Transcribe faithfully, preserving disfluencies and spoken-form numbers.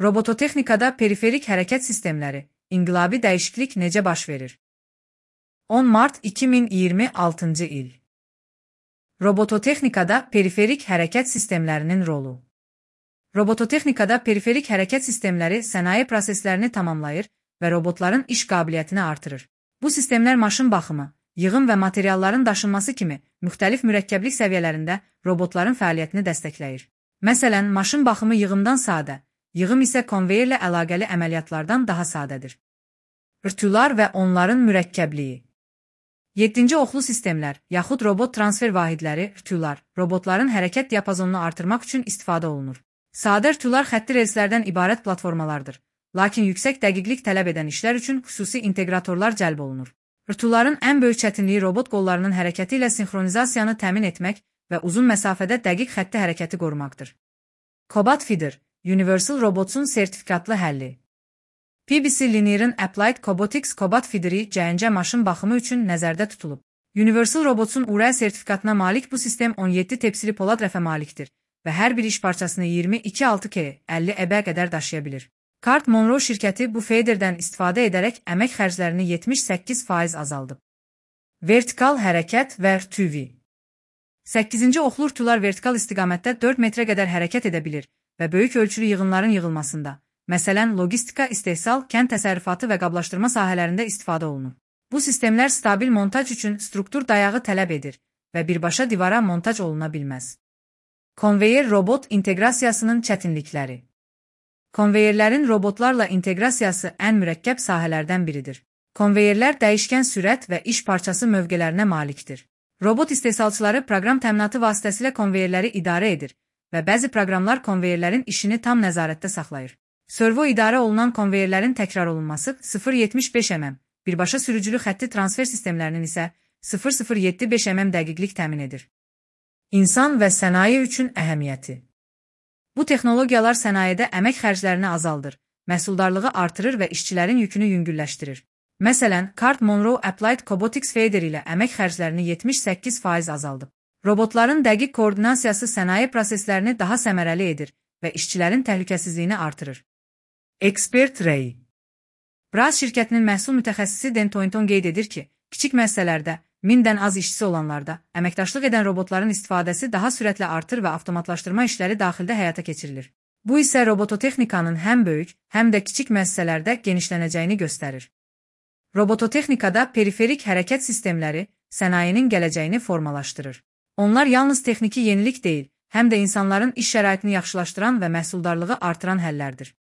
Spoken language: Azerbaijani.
Robototexnikada periferik hərəkət sistemləri, inqilabi dəyişiklik necə baş verir? on mart iki min iyirmi altıncı il. Robototexnikada periferik hərəkət sistemlərinin rolu. Robototexnikada periferik hərəkət sistemləri sənaye proseslərini tamamlayır və robotların iş qabiliyyətini artırır. Bu sistemlər maşın baxımı, yığım və materialların daşınması kimi müxtəlif mürəkkəblik səviyyələrində robotların fəaliyyətini dəstəkləyir. Məsələn, maşın baxımı yığımdan sadə, yığım isə konveyerlə əlaqəli əməliyyatlardan daha sadədir. Rtular və onların mürəkkəbliyi. yeddinci oxlu sistemlər, yaxud robot transfer vahidləri, rtular, robotların hərəkət diapazonunu artırmaq üçün istifadə olunur. Sadə rtular xətti relslərdən ibarət platformalardır, lakin yüksək dəqiqlik tələb edən işlər üçün xüsusi inteqratorlar cəlb olunur. Rtuların ən böyük çətinliyi robot qollarının hərəkəti ilə sinxronizasiyanı təmin etmək və uzun məsafədə dəqiq xətti hərəkəti qorumaqdır. Cobot Feeder, Universal Robots'un sertifikatlı həlli. P B C Linear'ın Applied Cobotics Cobot Feeder'i C N C maşın baxımı üçün nəzərdə tutulub. Universal Robots'un U R A sertifikatına malik bu sistem on yeddi tepsili polad rəfə malikdir və hər bir iş parçasını iyirmi iki altı K əlli E B qədər daşıya bilir. Cart Monroe şirkəti bu feederdən istifadə edərək əmək xərclərini yetmiş səkkiz faiz azaldıb. Vertikal hərəkət və R T V. səkkizinci oxlu rtular vertikal istiqamətdə dörd metrə qədər hərəkət edə bilir və böyük ölçülü yığınların yığılmasında, məsələn, logistika, istehsal, kənd təsərrüfatı və qablaşdırma sahələrində istifadə olunur. Bu sistemlər stabil montaj üçün struktur dayağı tələb edir və birbaşa divara montaj oluna bilməz. Konveyer robot inteqrasiyasının çətinlikləri. Konveyerlərin robotlarla inteqrasiyası ən mürəkkəb sahələrdən biridir. Konveyerlər dəyişkən sürət və iş parçası mövqelərinə malikdir. Robot istehsalçıları proqram təminatı vasitəsilə konveyerləri idarə edir və bəzi proqramlar konveyerlərin işini tam nəzarətdə saxlayır. Servo idarə olunan konveyerlərin təkrar olunması sıfır nöqtə yetmiş beş mm, birbaşa sürücülü xətti transfer sistemlərinin isə sıfır nöqtə sıfır yeddi beş mm dəqiqlik təmin edir. İnsan və sənaye üçün əhəmiyyəti. Bu texnologiyalar sənayedə əmək xərclərini azaldır, məhsuldarlığı artırır və işçilərin yükünü yüngülləşdirir. Məsələn, Cart Monroe Applied Cobotics Feeder ilə əmək xərclərini yetmiş səkkiz faiz azaldıb. Robotların dəqiq koordinasiyası sənaye proseslərini daha səmərəli edir və işçilərin təhlükəsizliyini artırır. Expert Ray. Braz şirkətinin məhsul mütəxəssisi Dan Toynton qeyd edir ki, kiçik müəssisələrdə, mindən az işçisi olanlarda, əməkdaşlıq edən robotların istifadəsi daha sürətlə artır və avtomatlaşdırma işləri daxildə həyata keçirilir. Bu isə robototexnikanın həm böyük, həm də kiçik müəssisələrdə genişlənəcəyini göstərir. Robototexnikada periferik hərəkət sistemləri sənayenin gələcəyini formalaşdırır. Onlar yalnız texniki yenilik deyil, həm də insanların iş şəraitini yaxşılaşdıran və məhsuldarlığı artıran həllərdir.